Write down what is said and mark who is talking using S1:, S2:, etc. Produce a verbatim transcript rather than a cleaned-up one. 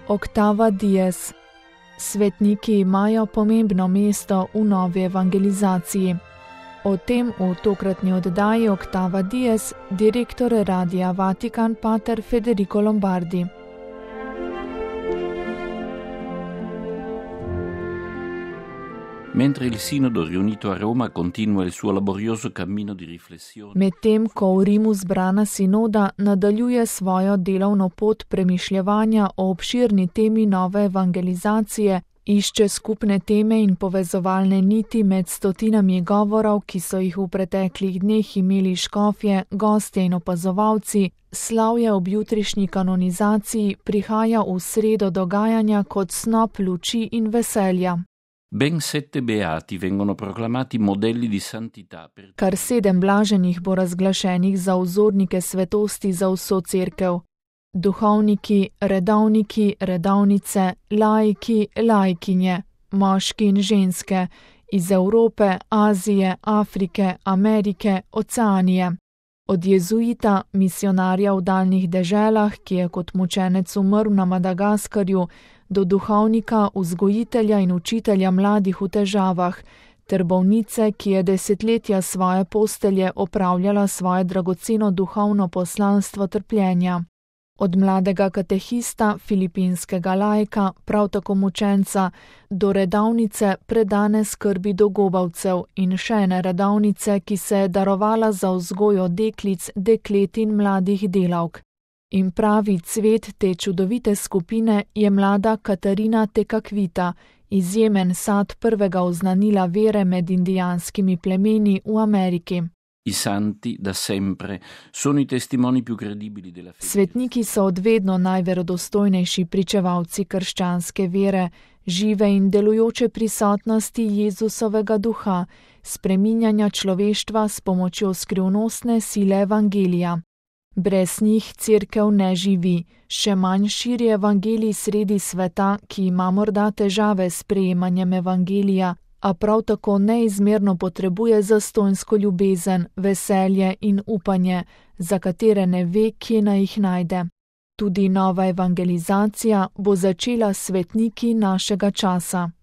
S1: Octava Dies. Svetniki imajo pomembno mesto v novi evangelizaciji. O tem v tokratni oddaji Octava Dies direktor Radia Vatikan pater Federico Lombardi.
S2: Mentre il Sinodo riunito a Roma continua il suo laborioso cammino di riflessione.
S1: Medtem ko v Rimu zbrana sinoda nadaljuje svojo delovno pot premišljevanja o obširni temi nove evangelizacije, išče skupne teme in povezovalne niti med stotinami govorov, ki so jih v preteklih dneh imeli škofje, gostje in opazovalci, slavje ob jutrišnji kanonizaciji prihaja v sredo dogajanja kot snop luči in veselja.
S2: Ben sette beati vengono proclamati modelli di santità. Per...
S1: Kar sedem blaženih bo razglašenih za vzornike svetosti za vso cerkev. Duhovniki, redovniki, redovnice, laiki, laikinje, moški in ženske, iz Evrope, Azije, Afrike, Amerike, Oceanije. Od jezuita, misionarja v daljnih deželah, ki je kot mučenec umrl na Madagaskarju, do duhovnika, vzgojitelja in učitelja mladih v težavah, ter bolnice, ki je desetletja svoje postelje opravljala svoje dragoceno duhovno poslanstvo trpljenja. Od mladega katehista, filipinskega laika, prav tako mučenca, do redovnice predane skrbi dogobavcev in še ene redovnice, ki se je darovala za vzgojo deklic, deklet in mladih delavk. In pravi cvet te čudovite skupine je mlada Katarina Tekakvita, izjemen sad prvega oznanila vere med indijanskimi plemeni v Ameriki.
S2: I santi da sempre sono i testimoni più credibili della fede.
S1: Svetniki so odvedno najverodostojnejši pričevalci krščanske vere, žive in delujoče prisotnosti Jezusovega duha, spreminjanja človeštva s pomočjo skrivnostne sile evangelija. Brez njih cerkev ne živi, še manj širi evangelij sredi sveta, ki ima morda težave s prejemanjem evangelija, a prav tako neizmerno potrebuje zastonjsko ljubezen, veselje in upanje, za katere ne ve, kje naj jih najde. Tudi nova evangelizacija bo začela s svetniki našega časa.